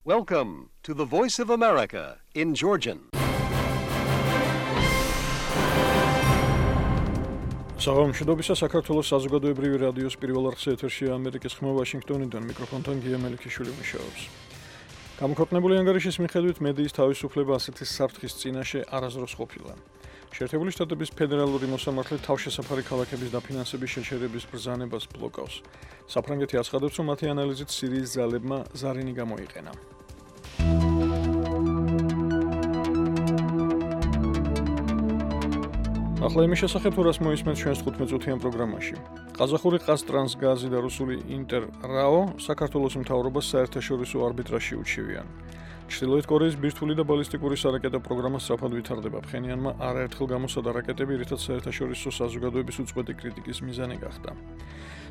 Welcome to the Voice of America in Georgian. Საღამოშიდობისა საქართველოს საზოგადოებრივი რადიოს პირველ არხზე ეთერშია ამერიკის ხმა ვაშინგტონიდან მიკროფონთან გია მელიქიშვილი მუშაობს. გამოქვეყნებული ანგარიშის მიხედვით მედიის თავისუფლება ასეთი საფრთხის წინაშე არასდროს ყოფილა. შეერთებული შტატების ფედერალური მოსამართლე თავშესაფარი ქალაქების დაფინანსების შეჩერების ბრძანებას ბლოკავს. საფრანგეთი აცხადებს, რომ მათი ანალიზით სირიის ძალებმა ზარინი გამოიყენა. ახლა იმის შესახებ თუ რას მოისმენთ ჩვენს 15-წუთიან პროგრამაში. ყაზახური ყაზტრანსგაზი და რუსული ინტერრაო საქართველოს მთავრობას საერთაშორისო არბიტრაჟში უჩივიან. ჩრდილოეთ კორეის ბირთვული და ბალისტიკური სარაკეტო პროგრამა სწრაფად ვითარდება. ფხენიანმა არაერთხელ გამოსადა რაკეტები, რითაც საერთაშორისო საზოგადოების უწყვეტი კრიტიკის მიზანი გახდა.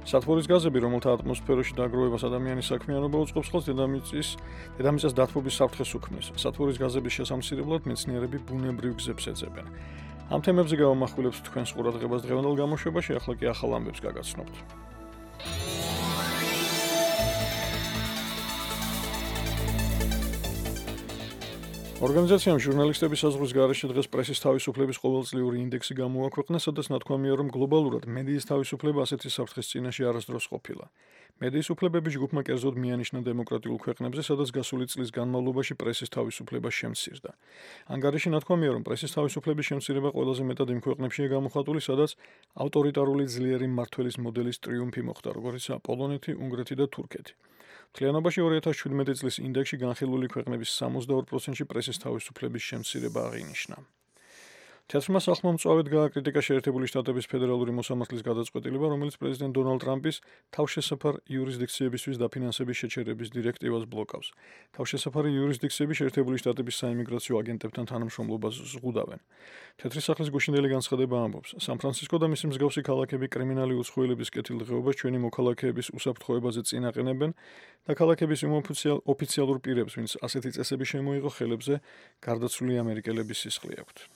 სათბურის გაზები, რომელთა ატმოსფეროში დაგროვებას ადამიანის საქმიანობა უწყობს ხელს, დედამიწას დათბობის საფრთხეს უქმნის. სათბურის გაზების შესამცირებლად მეცნიერები ბუნებრივ გზებს ეძებენ. ამ თემებზე გავამახვილებთ თქვენს ყურადღებას დღევანდელ გამოშვებაში, ახლა კი ახალ ამბებს გაგაცნობთ. ორგანიზაციამ ჟურნალისტების საზღვრის გარეშე დღეს პრესის თავისუფლების ყოველწლიური ინდექსი გამოაქვეყნა, სადაც ნათქვამია, რომ გლობალურად მედიის თავისუფლება ასეთი საფრთხის წინაშე არასდროს ყოფილა. მედიის უფლებების ჯგუფმა კერძოდ მიანიშნა დემოკრატიულ ქვეყნებზე, სადაც გასული წლის განმავლობაში პრესის თავისუფლება შემცირდა. ანგარიში ნათქვამია, რომ პრესის თავისუფლების შემცირება ყველაზე მეტად იმ ქვეყნებშია გამოხატული, სადაც ავტორიტარული ძლიერი მმართველის მოდელის ტრიუმფი მოხდა, როგორიცაა პოლონეთი, უნგრეთი და თურქეთი. მთლიანობაში 2017 წლის ინდექსში განხილული ქვეყნების 62%-ში პრესის თავისუფლების შემცირება აღინიშნა. თეატრმა სახლმა მწვავედ გააკრიტიკა შეერთებული შტატების ფედერალური მოსამართლის გადაწყვეტილება, რომელიც პრეზიდენტ დონალდ ტრამპის თავშესაფარ იურისდიქციებისთვის დაფინანსების შეჩერების დირექტივას ბლოკავს. თავშესაფარი იურისდიქციები შეერთებული შტატების საიმიგრაციო აგენტებთან თანამშრომლობას ზღუდავენ. თეატრის სახლის გუშინდელი განცხადება ამბობს, სან-ფრანცისკო და მისი მსგავსი ქალაქები კრიმინალი უცხოელების კეთილდღეობას ჩვენი მოქალაქეების უსაფრთხოებაზე წინაყენებენ და ქალაქების იმ ოფიციალურ პირებს, ვინც ასეთი წესები შემოიღო ხელებზე, გარდაცვლილი ამერიკელების სისხლი აქვთ.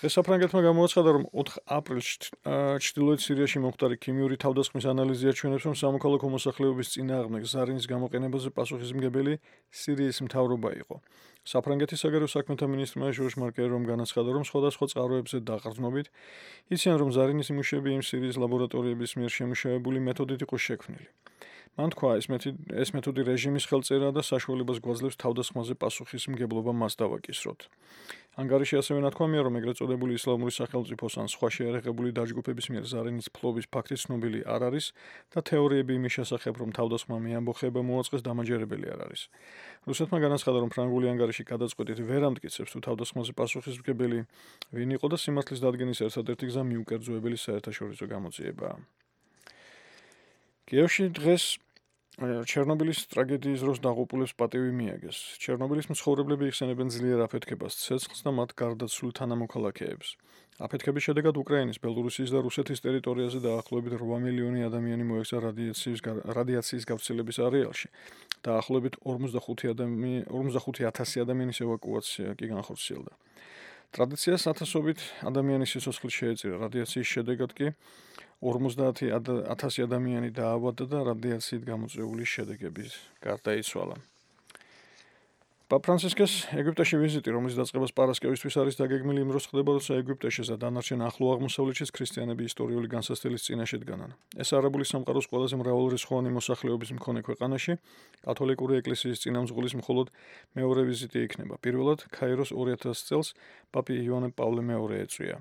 დღეს საფრანგეთმა გამოაცხადა, რომ 4 აპრილში ჩრდილოეთ სირიაში მომხდარი ქიმიური თავდასხმის ანალიზი აჩვენებს, რომ სამოქალაქო მოსახლეობის წინააღმდეგ ზარინის გამოყენებაზე პასუხისმგებელი სირიის მთავრობა იყო. საფრანგეთის საგარეო საქმეთა მინისტრმა ჟორჟ მარკერომ განაცხადა, რომ სხვადასხვა წყაროებზე დაყრდნობით იციან, რომ ზარინის იმუშები იმ სირიის ლაბორატორიების მიერ შემუშავებული მეთოდით იყო შექმნილი. მან თქვა, ეს მეთოდი რეჟიმის ხელწერაა და საშუალებას გვაძლევს თავდასხმაზე პასუხისმგებლობა მას დავაკისროთ. ანგარიში ასევე ნათქვამია, რომ ეგრეთ წოდებული ისლამური სახელმწიფოს ან სხვა შეიარაღებული დაჯგუფების მიერ ზარინის ფლობის ფაქტი ცნობილი არ არის და თეორიები იმის შესახებ, რომ თავდასხმა მეამბოხეება მოაწყეს, დამაჯერებელი არ არის. რუსეთმა განაცხადა, რომ ფრანგული ანგარიში გადაწყვეტით ვერ ამტკიცებს, თუ თავდასხმაზე პასუხისმგებელი ვინ იყო და სიმართლის დადგენის ერთადერთი გზა მიუკერძოებელი საერთაშორისო გამოძიებაა. კიევში დღეს ჩერნობილის ტრაგედიის დროს დაღუპულებს პატივი მიაგეს. ჩერნობილის მცხოვრებლები იხსენებენ ძლიერ აფეთქებას, ცეცხლს და მათ გარდაცვლილ თანამოქალაქეებს. აფეთქების შედეგად უკრაინის, ბელორუსიის და რუსეთის ტერიტორიაზე დაახლოებით 8 მილიონი ადამიანი მოექცა რადიაციის გავრცელების არეალში. დაახლოებით 45,000 ადამიანის ევაკუაცია კი განხორციელდა. ტრადიციას ათასობით ადამიანის სიცოცხლე შეეწირა. რადიაციის შედეგად კი 50,000 ადამიანი დაავადდა და რადიაციით გამოწვეული შედეგების გარდაიცვალა. პაპ ფრანცისკეს ეგვიპტეში ვიზიტი, რომლის დაწყებას პარასკევისთვის არის დაგეგმილი, იმ დროს ხდება, როცა ეგვიპტეში და დანარჩენ ახლო აღმოსავლეთშიც ქრისტიანები ისტორიული განსასწრების წინაშე დგანან. ეს არაბული სამყაროს ყველაზე მრავალრიცხოვანი მოსახლეობის მქონე ქვეყანაში კათოლიკური ეკლესიის წინამძღოლის მხოლოდ მეორე ვიზიტი იქნება. პირველად ქაიროს 2000 წელს პაპი იოანე პავლე მეორე ეწვია.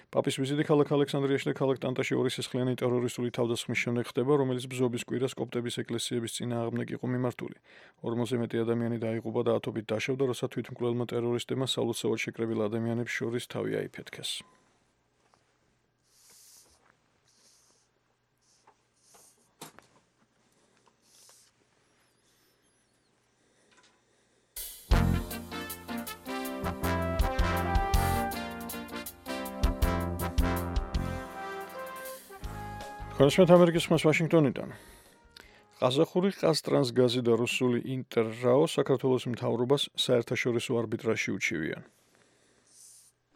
პაპის ვიზიტი ქალაქ ალექსანდრიაში და ქალაქ ტანტაში ორი სისხლიანი ტერორისტული თავდასხმის შემდეგ ხდება, რომელიც ბზობის კვირას კოპტების ეკლესიების წინააღმდეგ იყო მიმართული. 40-ზე მეტი ადამიანი დაიღუპა და ათობით დაშავდა, როცა თვითმკვლელმა ტერორისტებმა სალოცავად შეკრებილ ადამიანებს შორის თავი აიფეთქეს. Konuşmet Amerika'sı Washington'dan. ყაზახური ყაზტრანსგაზი და რუსული ინტერრაო საქართველოს მთავრობას საერთაშორისო არბიტრაჟში უჩივიან.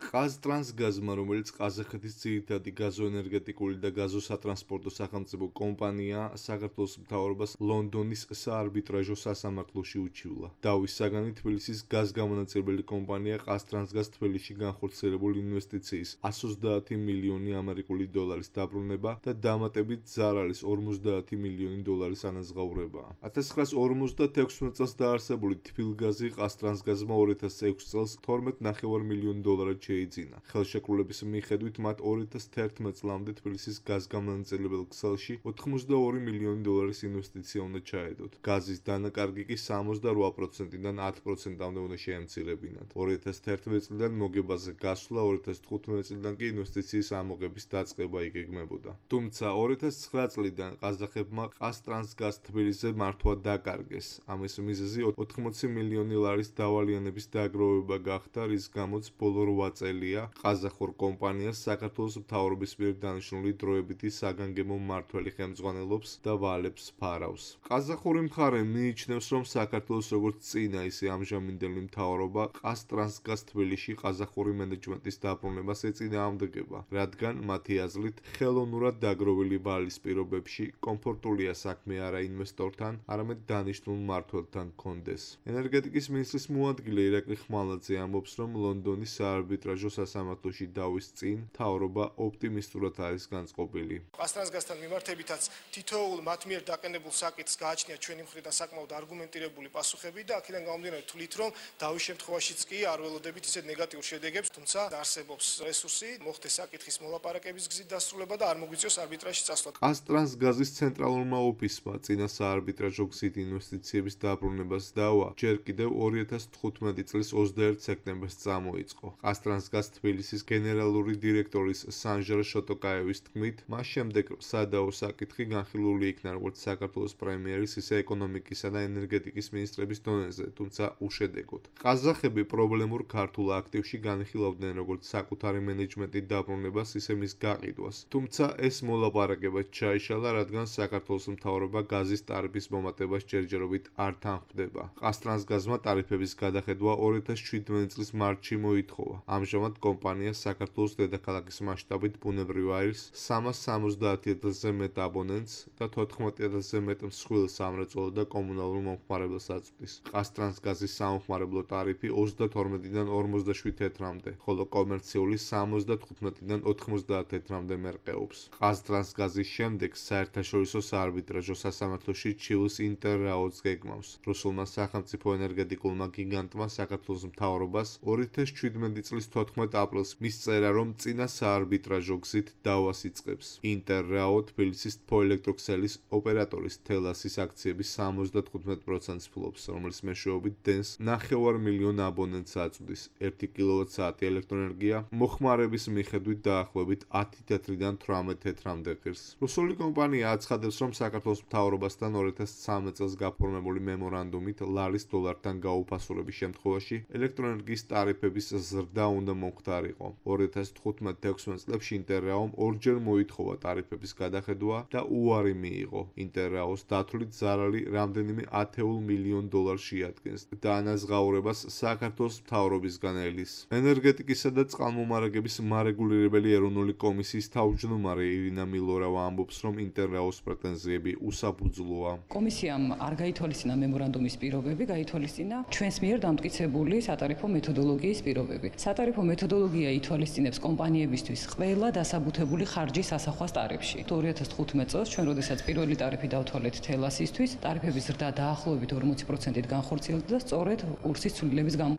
ყაზტრანსგაზმა, რომელიც ყაზახეთის ძირითადი გაზოენერგეტიკული და გაზოსატრანსპორტო სახელმწიფო კომპანია, საქართველოს მთავრობას ლონდონის საარბიტრაჟო სასამართლოში უჩივლა. დავის საგანი თბილისის გაზგამონაწილებელი კომპანია ყაზტრანსგაზ თბილისში განხორციელებულ ინვესტიციის 130 მილიონი ამერიკული დოლარის დაბრუნება და დამატებით ზარალის 50 მილიონი დოლარის ანაზღაურებაა. 1956 წელს დაარსებული თბილგაზი ყაზტრანსგაზმა 2006 წელს 12.5 მილიონი დოლარად შეიძინა. ხელშეკრულების მიხედვით მათ 2011 წლამდე თბილისის გაზგამონაწილებელ ქსელში 82 მილიონი დოლარის ინვესტიცია უნდა ჩაედოთ. გაზის დანაკარგი კი 68%-დან 10%-მდე უნდა შეემცირებინათ. 2011 წლიდან მოგებაზე გასვლა, 2015 წლიდან კი ინვესტიციის ამოღების დაწყება იგეგმებოდა. თუმცა 2009 წლიდან ყაზახებმა ყაზტრანსგაზ თბილისზე მართვა დაკარგეს. ამის მიზეზი 80 მილიონი ლარის დავალიანების დაგროვება გახდა, რის გამოც ბოლო 8 წელია ყაზახურ კომპანიას საქართველოს მთავრობის მიერ დანიშნული დროებითი საგანგებო მმართველი ხელმძღვანელობს და ვალებს ფარავს. ყაზახური მხარე მიიჩნევს, რომ საქართველოს როგორც წინა, ისე ამჟამინდელი მთავრობა ყაზტრანსგაზ თბილისში ყაზახური მენეჯმენტის დაბრუნებას ეწინააღმდეგება, რადგან მათი აზრით ხელოვნურად დაგროვილი ვალის პირობებში კომფორტულია საქმე არა ინვესტორთან, არამედ დანიშნულ მმართველთან ჰქონდეს. ენერგეტიკის მინისტრის მოადგილე ირაკლი ხმალაძე ამბობს, რომ ლონდონის საარბიტრაჟო სასამართლოში დავის წინ მთავრობა ოპტიმისტურად არის განწყობილი. ყაზტრანსგაზთან მიმართებითაც თითოეულ მათ მიერ დაყენებულ საკითხს გააჩნია ჩვენი მხრიდან საკმაოდ არგუმენტირებული პასუხები და აქედან გამომდინარე თვლით, რომ დავის შემთხვევაშიც კი არ ველოდებით ისეთ ნეგატიურ შედეგებს, თუმცა არსებობს რესურსი, მოხდეს საკითხის მოლაპარაკების გზით დასრულება და არ მოგვიწევს არბიტრაჟში წასვლა. ყაზტრანსგაზის ცენტრალურმა ოფისმა წინა საარბიტრაჟო გზით ინვესტიციების დაბრუნებას დავა ჯერ კიდევ 2015 წლის 21 სექტემბერს წამოიწყო. ყაზტრანსგაზ თბილისის გენერალური დირექტორის სანჟარ შოტოკაევის თქმით, მას შემდეგ სადაო საკითხი განხილული იქნა როგორც საქართველოს პრემიერის, ისე ეკონომიკისა და ენერგეტიკის მინისტრების დონეზე, თუმცა უშედეგოდ. ყაზახები პრობლემურ ქართულ აქტივში განიხილავდნენ როგორც საკუთარი მენეჯმენტით დაბრუნებას, ისე მის გაყიდვას. თუმცა ეს მოლაპარაკება ჩაიშალა, რადგან საქართველოს მთავრობა გაზის ტარიფის მომატებას ჯერჯერობით არ თანხმდება. ყაზტრანსგაზმა ტარიფების გადახედვა 2017 წლის მარტში მოითხოვა. ამჟამად კომპანია საქართველოს დედაქალაქის მასშტაბით ბუნებრივ აირს 370,000-ზე მეტ აბონენტს და 14,000-ზე მეტ მსხვილ სამრეწველო და კომუნალურ მომხმარებელს აწვდის. ყაზტრანსგაზის სამომხმარებლო ტარიფი 32-დან 47 თეთრამდე, ხოლო კომერციული 75-დან 90 თეთრამდე მერყეობს. ყაზტრანსგაზის შემდეგ საერთაშორისო საარბიტრაჟო სასამართლოში ჩივლს ინტერრაოდს გეგმავს. რუსულმა სახელმწიფო ენერგეტიკულმა გიგანტმა საქართველოს მთავრობას 2017 წლის 14 აპრილს მისწერა, რომ წინა საარბიტრაჟო გზით დავას იწყებს. ინტერრაო თბილისის თბოელექტროქსელის ოპერატორის თელასის აქციების 75%-ს ფლობს, რომლის მეშვეობით დენს 9 მილიონ აბონენტს აწვდის. 1 კილოვატ-საათი ელექტროენერგია მოხმარების მიხედვით დაახლოებით 10 თეთრიდან 18 თეთრამდე ღირს. რუსული კომპანია აცხადებს, რომ საქართველოს მთავრობასთან 2013 წელს გაფორმებული მემორანდუმით ლარის დოლართან გაუფასურების შემთხვევაში ელექტროენერგიის ტარიფების ზრდა უნდა მომხდარიყო. 2015-16 წლებში ინტერრაომ ორჯერ მოითხოვა ტარიფების გადახედვა და უარი მიიღო. ინტერრაოს დათვლით ზარალი რამდენიმე 10 მილიონ დოლარს შეადგენს და ანაზღაურებას საქართველოს მთავრობისგან ელის. ენერგეტიკისა და წყალმომარაგების მარეგულირებელი ეროვნული კომისიის თავმჯდომარე ირინა მილორავა ამბობს, რომ ინტერრაოს პრეტენზიები უსაფუძვლოა. კომისიამ არ გაითვალისწინა მემორანდუმის პირობები, გაითვალისწინა ჩვენს მიერ დამტკიცებული სატარიფო მეთოდოლოგიის პირობები. სატარიფო მეთოდოლოგია ითვალისწინებს კომპანიებისთვის ყველა დასაბუთებული ხარჯის ასახვას ტარიფში. 2015 წელს ჩვენ როდესაც პირველი ტარიფი დავთვალეთ თელასისთვის, ტარიფების ზრდა დაახლოებით 40%-ით განხორციელდა და სწორედ კურსის ცვლილების გამო.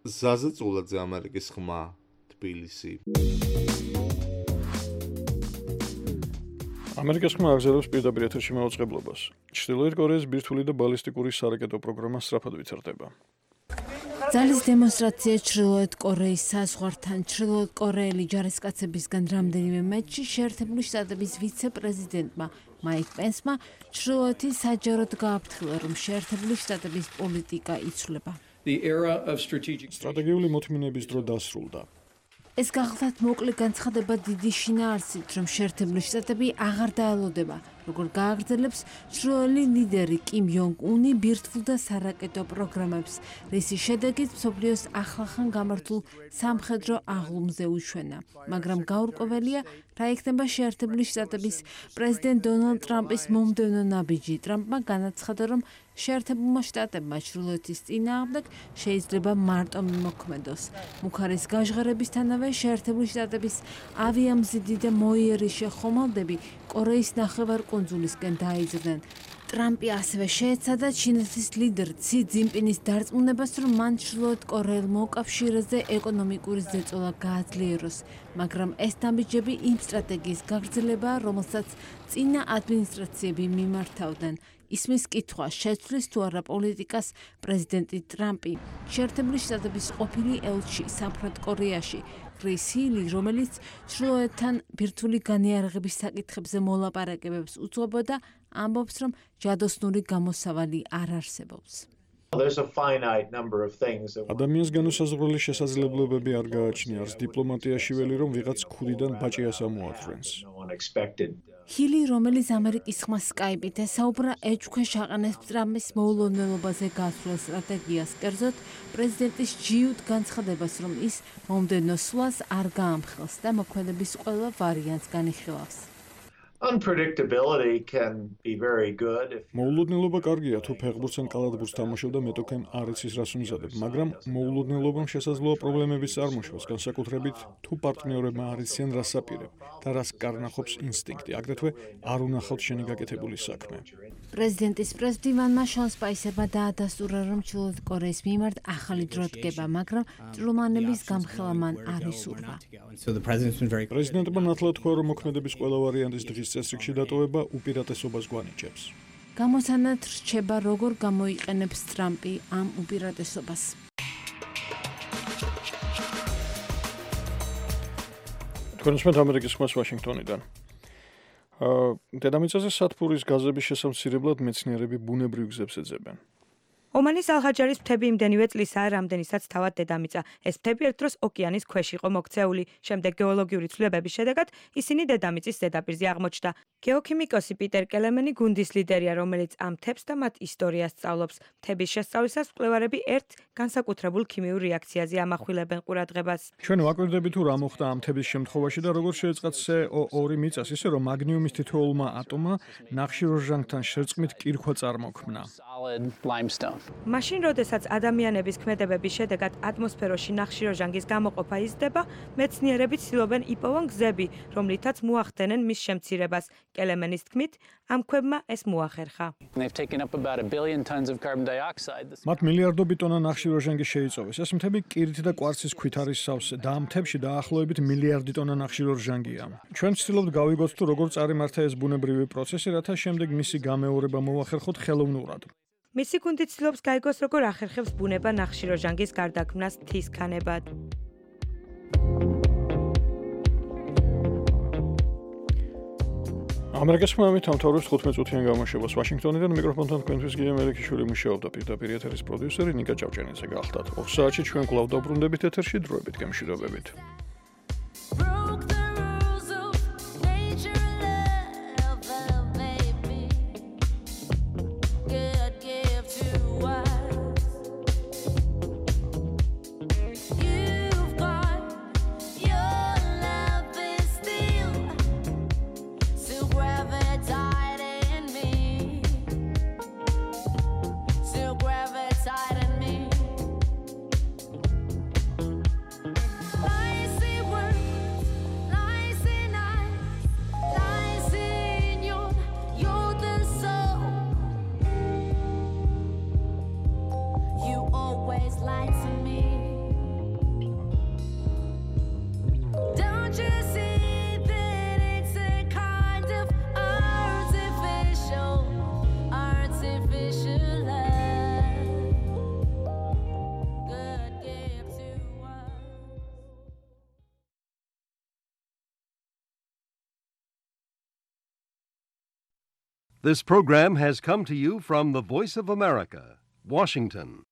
ზაზა წულაძე, ამერიკის ხმა, თბილისი. ამერიკის ხმა აგზელებს პირდაპირ ეთერში მაუწყებლობას. ჩრდილოეთ კორეის ბირთვული და ბალისტიკური სარაკეტო პროგრამა სწრაფად ვითარდება. ძალის დემონსტრაცია ჩრდილოეთ კორეის საზღვართან. ჩრდილოეთ კორეელი ჯარისკაცებისგან რამდენიმე მეტში შეერთებული შტატების ვიცე-პრეზიდენტმა მაიკ პენსმა ჩრდილოეთის საჯაროდ გააფრთხილა, რომ შეერთებული შტატების პოლიტიკა იცვლება. სტრატეგიული მოთმინების დრო დასრულდა. ეს გახლდათ მოკლე განცხადება დიდი შინაარსით, რომ შეერთებული შტატები აღარ დაელოდება როგორ გააგრძელებს ჩრდილოელი ლიდერი კიმ იონგ უნი ბირთვულ და სარაკეტო პროგრამებს, რისი შედეგით მსოფლიოს ახლახან გამართულ სამხედრო აღლუმზე უშვენა. მაგრამ გაურკვეველია, რა იქნება შეერთებული შტატების პრეზიდენტ დონალდ ტრამპის მომდევნო ნაბიჯი. ტრამპმა განაცხადა, რომ შეერთებულმა შტატებმა ჩრდილოეთის წინააღმდეგ შეიძლება მარტო მიმოქმედოს. მუქარის გაჟღერებისთანავე შეერთებული შტატების ავიამზიდი და მოიერიშე ხომალდები კორეის ნახევარკუნძულისკენ დაიძრნენ. ტრამპი ასევე შეეცადა ჩინეთის ლიდერ ცი ძინპინის დარწმუნებას, რომ მან ჩრდილოეთ კორეელ მოკავშირეზე ეკონომიკური ზეწოლა გააძლიეროს, მაგრამ ეს ნაბიჯები იმ სტრატეგიის გაგრძელებაა, რომელსაც წინა ადმინისტრაციები მიმართავდნენ. ისმის კითხვა შეცვლის თუ არა პოლიტიკას პრეზიდენტი ტრამპი. შეერთებული შტატების ყოფილი ელჩი სამხრეთ კორეაში კრის ჰილი, რომელიც ჩრდილოეთთან ბირთვული განიარაღების საკითხებზე მოლაპარაკებებს უძღვებოდა, ამბობს, რომ ჯადოსნური გამოსავალი არ არსებობს. ადამიანს განუსაზღვრელი შესაძლებლობები არ გააჩნია, არც დიპლომატიაში ველი, რომ ვიღაც ქუდიდან ბაჭიას ამოათვრენს. ჰილი, რომელიც ამერიკის ხმას სკაიპით ესაუბრა, ეჭვქვეშ აყენებს ტრამპის მოულოდნელობაზე გასვლელ სტრატეგიას, კერძოდ პრეზიდენტის ჯიუტ განცხადებას, რომ ის მომდევნო სვლას არ გაამხელს და მოქმედების ყველა ვარიანტს განიხილავს. მოულოდნელობა კარგია, თუ ფეხბურთს ან კალათბურთს თამაშობ და მეტოქემ არ იცის რას უმზადებ, მაგრამ მოულოდნელობამ შესაძლოა პრობლემების წარმოშვას, განსაკუთრებით თუ პარტნიორებმა არ იციან რას აპირებ და რას კარნახობს ინსტინქტი, აგრეთვე არ უნახავთ შენი გაკეთებული საქმე. პრეზიდენტის პრეზიდენტმა შონ სპაისერმა დაადასტურა, რომ ჩრდილოეთ კორეის მიმართ ახალი დრო დგება, მაგრამ ჭრილმანების გამხელა მან არ ისურვა. პრეზიდენტმა ნათლად თქვა, რომ მოქმედების ყველა ვარიანტის დღის წესრიგში დატოვება უპირატესობას გვანიჭებს. გამოსანად რჩება, როგორ გამოიყენებს ტრამპი ამ უპირატესობას. თქვენ უსმენთ ამერიკის ხმას ვაშინგტონიდან. დედამიწაზე სათბურის გაზების შესამცირებლად მეცნიერები ბუნებრივ გზებს ეძებენ. ომანის ალხაჯარის მთები იმდენივე წლისაა, რამდენისაც თავად დედამიწა. ეს მთები ერთ დროს ოკეანის ქვეშ იყო მოქცეული. შემდეგ გეოლოგიური ცვლილებების შედეგად ისინი დედამიწის ზედაპირზე აღმოჩნდა. გეოქიმიკოსი პიტერ კელემენი გუნდის ლიდერია, რომელიც ამ მთებს და მათ ისტორიას სწავლობს. მთების შესწავლისას მკვლევარები ერთ განსაკუთრებულ ქიმიურ რეაქციაზე ამახვილებენ ყურადღებას. ჩვენ ვაკვირდებით თუ რა მოხდა ამ მთების შემთხვევაში და როგორ შეეწყათ CO2 მიწას, ისე რომ მაგნიუმის თითოეულმა ატომმა ნახშირორჟანგთან შერწყმით კირქვა წარმოქმნა. მაშინ, როდესაც ადამიანების ქმედებების შედეგად ატმოსფეროში ნახშირორჟანგის გამოყოფა იზრდება, მეცნიერები ცდილობენ იპოვონ გზები, რომლითაც მოახდენენ მის შემცირებას. კელემენის თქმით, ამ ქვებმა ეს მოახერხა. მათ მილიარდობით ტონა ნახშირორჟანგი შეიწოვეს. ეს მთები კირით და კვარცის ქვით არის სავსე და ამ მთებში დაახლოებით მილიარდი ტონა ნახშირორჟანგია. ჩვენ ვცდილობთ გავიგოთ თუ როგორ წარიმართა ეს ბუნებრივი პროცესი, რათა შემდეგ მისი გამეორება მოახერხოთ ხელოვნურად. მისი გუნდი ცდილობს გაიგოს, როგორ ახერხებს ბუნება ნახშირორჟანგის გარდაქმნას მთის ქანებად. ამერიკის ხმამით ამთავრებს 15 წუთიან გამოშვებას. ვაშინგტონიდან მიკროფონთან თქვენთვის გია მელიქიშვილი მუშაობდა, პირდაპირ ეთერის პროდიუსერი ნიკა ჭავჭანიძე გახლდათ. 2 საათში ჩვენ კვლავ დაბრუნდებით ეთერში, დროებით გემშვიდობებით. This program has come to you from the Voice of America, Washington.